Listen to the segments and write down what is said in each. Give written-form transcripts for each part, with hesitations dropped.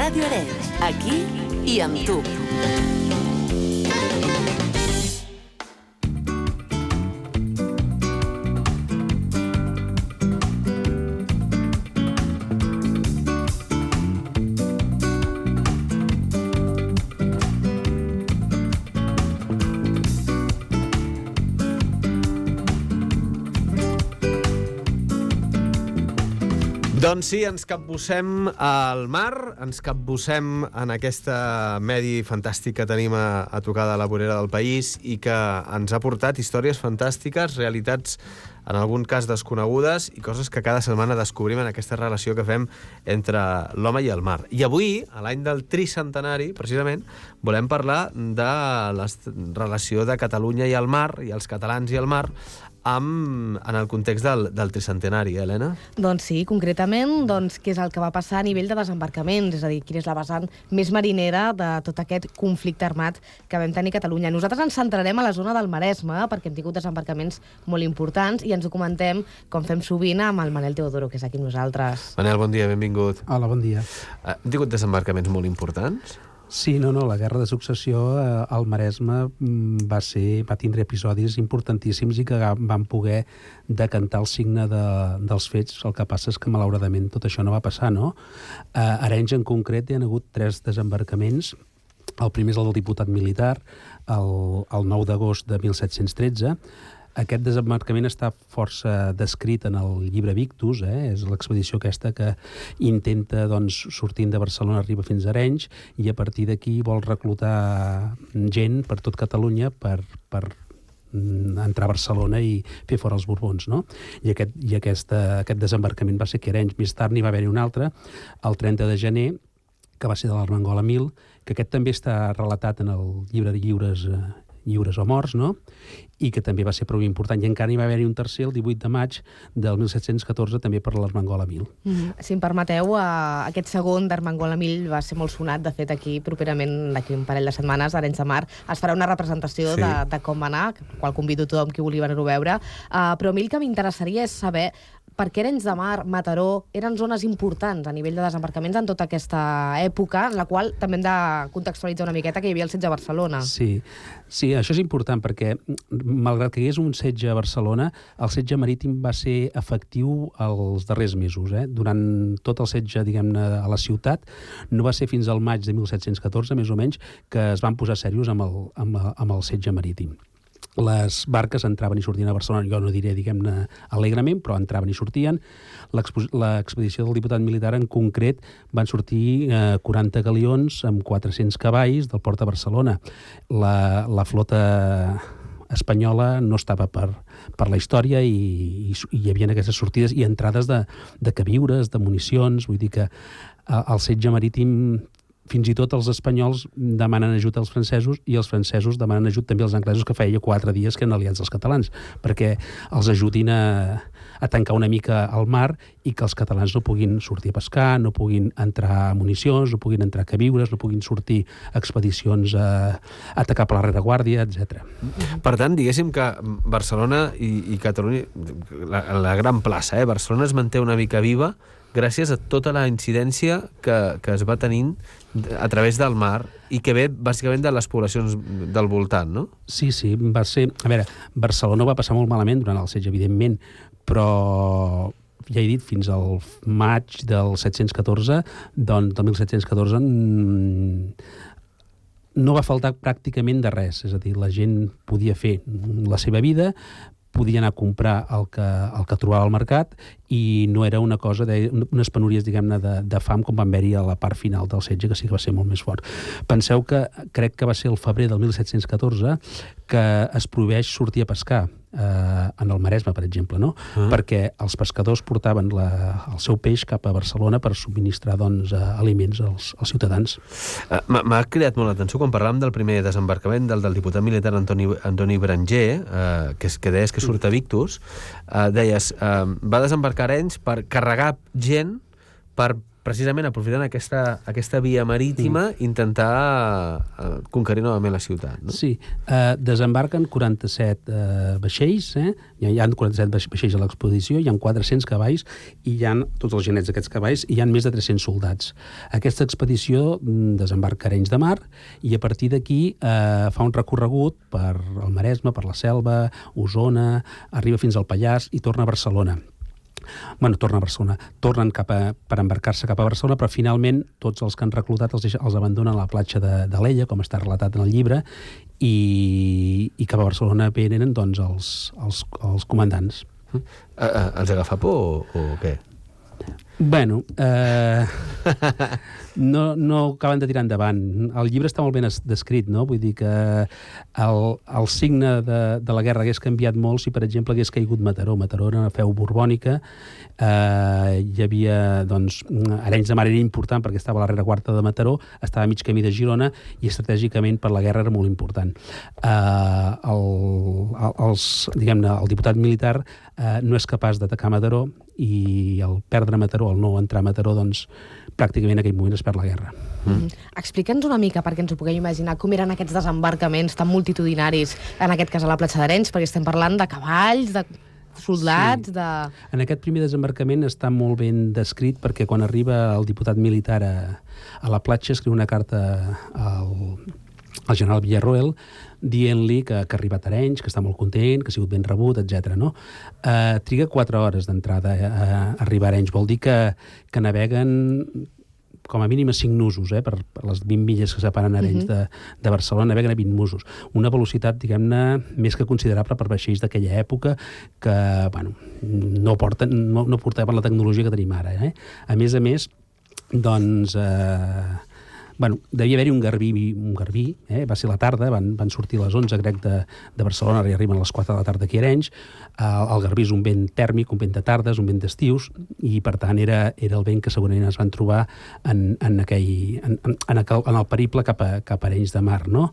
Ràdio Arenys, aquí i amb tu. Doncs sí, ens capbussem al mar, ens capbussem en aquesta medi fantàstic que tenim a tocar de la vorera del país i que ens ha portat històries fantàstiques, realitats en algun cas desconegudes i coses que cada setmana descobrim en aquesta relació que fem entre l'home i el mar. I avui, a l'any del tricentenari, precisament, volem parlar de la relació de Catalunya i el mar, i els catalans i el mar, en el context del tricentenari, Helena? Doncs sí, concretament, què és el que va passar a nivell de desembarcaments, és a dir, quina és la vessant més marinera de tot aquest conflicte armat que vam tenir a Catalunya. Nosaltres ens centrarem a la zona del Maresme, perquè hem tingut desembarcaments molt importants i ens ho comentem, com fem sovint, amb el Manel Teodoro, que és aquí amb nosaltres. Manel, bon dia, benvingut. Hola, bon dia. Hem tingut desembarcaments molt importants? Sí, no, la guerra de successió al Maresme va tindre episodis importantíssims i que van poder decantar el signe dels fets. El que passa és que, malauradament, tot això no va passar, no? A Arenys, en concret, hi ha hagut 3 desembarcaments. El primer és el del diputat militar, el 9 d'agost de 1713. Aquest desembarcament està força descrit en el llibre Victus, és l'expedició aquesta que intenta, sortint de Barcelona, arriba fins a Arenys, i a partir d'aquí vol reclutar gent per tot Catalunya per entrar a Barcelona i fer fora els Borbons, no? I aquest desembarcament va ser aquí a Arenys. Més tard n'hi va haver-hi un altre, el 30 de gener, que va ser de l'Armengol a Mil, que aquest també està relatat en el llibre de Lliures o morts, no? I que també va ser prou important. I encara hi va haver-hi un tercer, el 18 de maig del 1714, també per l'Armengol a Mil. Si em permeteu, aquest segon d'Armengol a Mil va ser molt sonat. De fet, aquí, properament, d'aquí un parell de setmanes, a Arenys de Mar, es farà una representació de com va anar, qual convido tothom qui vulgui venir-ho a veure. Però a mi el que m'interessaria és saber per què Arenys de Mar, Mataró, eren zones importants a nivell de desembarcaments en tota aquesta època, en la qual també hem de contextualitzar una miqueta que hi havia el setge a Barcelona. Sí, això és important perquè, malgrat que hi hagués un setge a Barcelona, el setge marítim va ser efectiu els darrers mesos. Durant tot el setge, diguem-ne, a la ciutat, no va ser fins al maig de 1714, més o menys, que es van posar serios amb el setge marítim. Les barques entraven i sortien a Barcelona, jo no diré, diguem-ne, alegrement, però entraven i sortien. L'expedició del diputat militar, en concret, van sortir 40 galions amb 400 cavalls del port de Barcelona. La flota espanyola no estava per la història i hi havia aquestes sortides i entrades de queviures, de municions. Vull dir que el setge marítim, fins i tot els espanyols demanen ajut als francesos i els francesos demanen ajut també als anglesos, que feia 4 dies que eren aliats dels catalans, perquè els ajudin a tancar una mica el mar i que els catalans no puguin sortir a pescar, no puguin entrar municions, no puguin entrar queviures, no puguin sortir expedicions a atacar per la rereguàrdia, etc. Per tant, diguéssim que Barcelona i Catalunya, la gran plaça, Barcelona es manté una mica viva gràcies a tota la incidència que es va tenint a través del mar i que ve bàsicament de les poblacions del voltant, no? Sí, va ser... A veure, Barcelona va passar molt malament durant el setge, evidentment, però ja he dit, fins al maig del 714, doncs del 1714, no va faltar pràcticament de res. És a dir, la gent podia fer la seva vida, podia anar a comprar el que trobava al mercat i no era una cosa, unes penúries, diguem-ne, de fam com van haver-hi a la part final del setge, que sí que va ser molt més fort. Penseu que crec que va ser el febrer del 1714 que es prohibeix sortir a pescar en el Maresme, per exemple, no? Perquè els pescadors portaven el seu peix cap a Barcelona per subministrar, aliments als ciutadans. M'ha cridat molt l'atenció quan parlàvem del primer desembarcament del diputat militar Antoni Berenger, que deies que surt a Victus. Deies, va desembarcar a Arenys per carregar gent per precisament aprofitant aquesta via marítima, intentar conquerir novament la ciutat. No? Sí, desembarquen 47 vaixells, hi ha 47 vaixells a l'expedició, hi ha 400 cavalls i hi ha tots els genets d'aquests cavalls i hi ha més de 300 soldats. Aquesta expedició desembarca a Arenys de Mar i a partir d'aquí fa un recorregut per el Maresme, per la Selva, Osona, arriba fins al Pallars i torna a Barcelona. Torna a Barcelona. Tornen per embarcar-se cap a Barcelona, però finalment tots els que han reclutat els abandonen a la platja d'Alella, com està relatat en el llibre, i cap a Barcelona venen doncs, els comandants. Els agafa por o què? Bueno, no acaben de tirar endavant. El llibre està molt ben descrit, no? Vull dir que el signe de la guerra hagués canviat molt si, per exemple, hagués caigut Mataró. Mataró era una feu borbònica. Hi havia, doncs, Arenys de Mar era important perquè estava a la rereguarda de Mataró, estava a mig camí de Girona i estratègicament per la guerra era molt important. El diputat militar no és capaç d'atacar Mataró i el perdre Mataró, el no entrar a Mataró, doncs pràcticament en aquell moment es perd la guerra. Explica'ns una mica, perquè ens ho puguem imaginar, com eren aquests desembarcaments tan multitudinaris, en aquest cas a la platja d'Arenys, perquè estem parlant de cavalls, de soldats, sí. En aquest primer desembarcament està molt ben descrit perquè quan arriba el diputat militar a la platja escriu una carta al general Villarroel dient-li que ha arribat a Arenys, que està molt content, que ha sigut ben rebut, etc. No? Triga 4 hores d'entrada a arribar a Arenys. Vol dir que naveguen com a mínim a 5 nusos, per les 20 milles que separen Arenys de Barcelona, naveguen a 20 nusos. Una velocitat, diguem-ne, més que considerable per vaixells d'aquella època que, no portaven la tecnologia que tenim ara. A més, doncs... devia haver-hi un garbí, va ser la tarda, van sortir a les 11 crec de Barcelona i arriben a les 4 de la tarda aquí a Arenys. El garbí és un vent tèrmic, un vent de tardes, un vent d'estius, i per tant era el vent que segurament es van trobar en el periple cap a Arenys de Mar, no?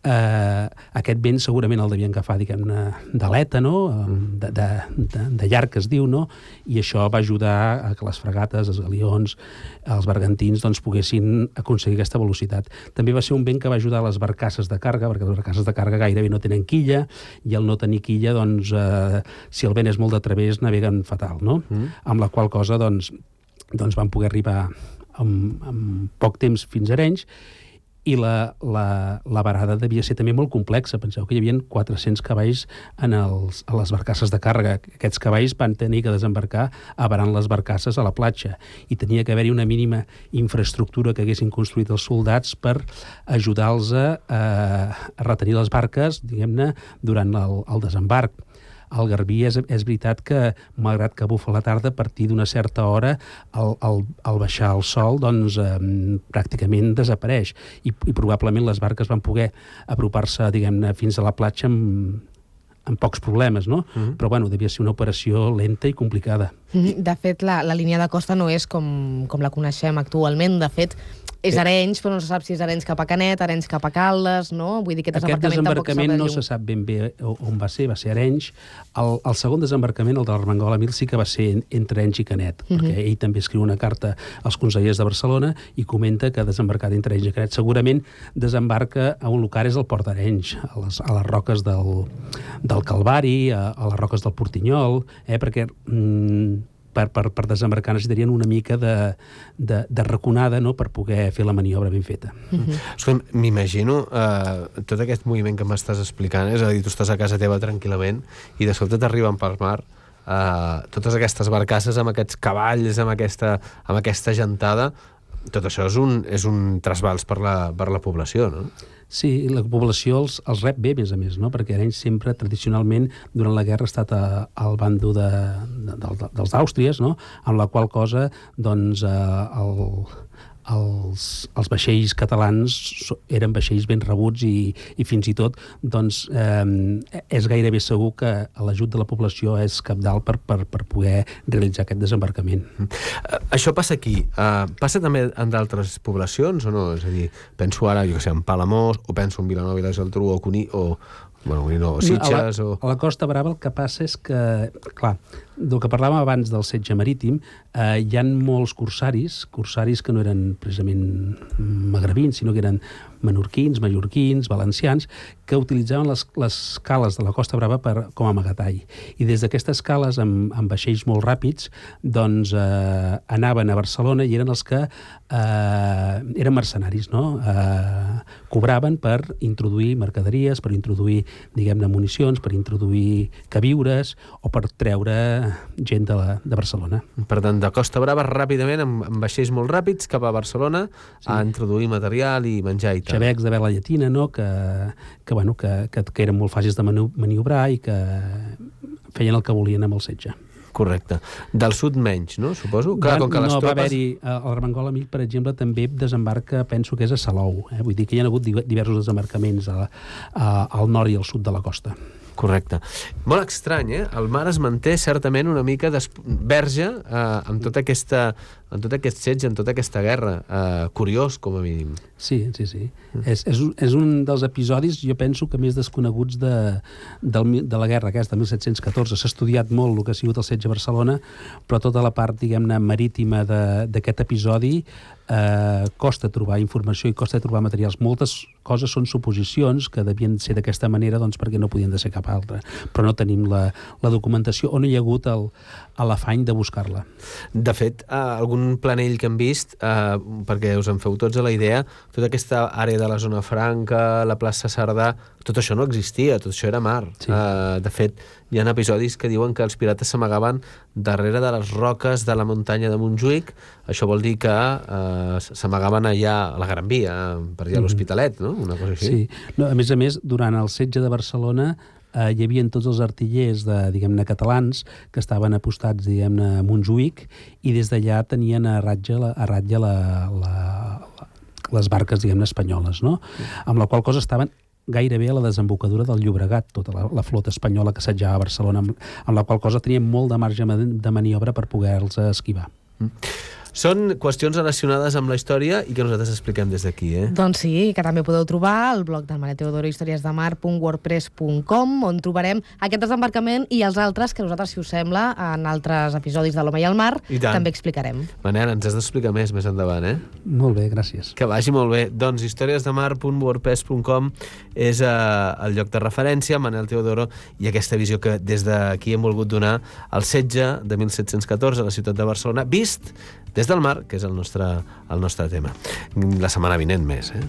Aquest vent segurament el devien agafar, diguem-ne, d'aleta, no? De llarg, que es diu, no? I això va ajudar a que les fregates, els galions, els bergantins, doncs, poguessin aconseguir aquesta velocitat. També va ser un vent que va ajudar a les barcasses de càrrega, perquè les barcasses de càrrega gairebé no tenen quilla, i al no tenir quilla, doncs, si el vent és molt de través, naveguen fatal, no? Amb la qual cosa, doncs van poder arribar en poc temps fins a Arenys, i la varada devia ser també molt complexa. Penseu que hi havia 400 cavalls a les barcasses de càrrega. Aquests cavalls van tenir que desembarcar avarant les barcasses a la platja i tenia que haver-hi una mínima infraestructura que haguessin construït els soldats per ajudar-los a retenir les barques, diguem-ne, durant el desembarc. El garbí és veritat que, malgrat que bufa la tarda, a partir d'una certa hora, al baixar el sol, doncs, pràcticament desapareix. I probablement les barques van poder apropar-se, diguem-ne, fins a la platja amb pocs problemes, no? Però, devia ser una operació lenta i complicada. De fet, la línia de costa no és com la coneixem actualment. De fet, és Arenys, però no se sap si és Arenys cap a Canet, Arenys cap a Caldes, no? Vull dir que aquest desembarcament no se sap ben bé on va ser Arenys. El segon desembarcament, el de l'Armengol Emil, sí que va ser entre Arenys i Canet, perquè ell també escriu una carta als consellers de Barcelona i comenta que ha desembarcat entre Arenys i Canet. Segurament desembarca a un lugar, és el Port d'Arenys, a les roques del Calvari, a les roques del Portinyol, perquè per desembarcar necessitarien una mica de raconada, no?, per poder fer la maniobra ben feta. M'imagino tot aquest moviment que m'estàs explicant, és a dir, tu estàs a casa teva tranquil·lament i de sobte t'arriben pel mar totes aquestes barcasses amb aquests cavalls, amb aquesta gentada. Tot això és un trasbals per la població, no? Sí, la població els rep bé, a més, no? Perquè Arenys sempre, tradicionalment, durant la guerra ha estat al bando dels Àustries, no? Amb la qual cosa, doncs, els vaixells catalans eren vaixells ben rebuts i fins i tot, doncs, és gairebé segur que l'ajut de la població és cabdal per poder realitzar aquest desembarcament. Això passa aquí. Passa també en d'altres poblacions o no? És a dir, penso ara, jo que sé, en Palamós, o penso en Vilanova i la Geltrú, o Sitges... A la Costa Brava el que passa és que, clar, del que parlàvem abans del setge marítim, hi ha molts corsaris que no eren precisament magrebins, sinó que eren menorquins, mallorquins, valencians, que utilitzaven les cales de la Costa Brava com a amagatall. I des d'aquestes cales, amb vaixells molt ràpids, doncs anaven a Barcelona i eren els que eren mercenaris, no? Cobraven per introduir mercaderies, per introduir, diguem-ne, municions, per introduir queviures o per treure gent de Barcelona. Per tant, de Costa Brava ràpidament, amb vaixells molt ràpids, cap a Barcelona, a introduir material i menjar i tal. Xavecs de vela llatina, no? que eren molt fàcils de maniobrar i que feien el que volien amb el setge. Correcte. Del sud menys, no? Suposo? Clar, com que les va haver-hi... El Armengol Amic, per exemple, també desembarca, penso que és a Salou. Vull dir que hi ha hagut diversos desembarcaments al nord i al sud de la costa. Correcte. Molt estrany, eh? El mar es manté certament una mica verge amb tot aquest setge, en tota aquesta guerra. Curiós, com a mínim. Sí. És un dels episodis, jo penso, que més desconeguts de la guerra aquesta, de 1714. S'ha estudiat molt el que ha sigut el setge a Barcelona, però tota la part, diguem-ne, marítima d'aquest episodi costa trobar informació i costa trobar materials. Moltes coses són suposicions que devien ser d'aquesta manera, doncs perquè no podien de ser cap altra, però no tenim la documentació o no hi ha hagut l'afany de buscar-la. De fet, algun planell que hem vist, perquè us en feu tots a la idea, tota aquesta àrea de la zona franca, la plaça Cerdà, tot això no existia, tot això era mar. Sí. De fet, hi ha episodis que diuen que els pirates s'amagaven darrere de les roques de la muntanya de Montjuïc. Això vol dir que s'amagaven allà a la Gran Via, per allà a l'Hospitalet, no? Una cosa així. Sí. No, a més, durant el setge de Barcelona hi havia tots els artillers diguem-ne catalans que estaven apostats, diguem-ne, a Montjuïc, i des d'allà tenien a ratlla les barques, diguem-ne, espanyoles, no? Amb la qual cosa estaven gairebé a la desembocadura del Llobregat, tota la flota espanyola que assetjava Barcelona, amb la qual cosa tenien molt de marge de maniobra per poder-los esquivar. Són qüestions relacionades amb la història i que nosaltres expliquem des d'aquí, eh? Doncs sí, que també podeu trobar al blog del Manel Teodoro, historiesdemar.wordpress.com, on trobarem aquest desembarcament i els altres que nosaltres, si us sembla, en altres episodis de l'Home i el Mar, també explicarem. Manel, ens has d'explicar més endavant, eh? Molt bé, gràcies. Que vagi molt bé. Doncs historiesdemar.wordpress.com és el lloc de referència, Manel Teodoro, i aquesta visió que des d'aquí hem volgut donar al setge de 1714 a la ciutat de Barcelona, vist des del mar, que és el nostre tema. La setmana vinent més, eh?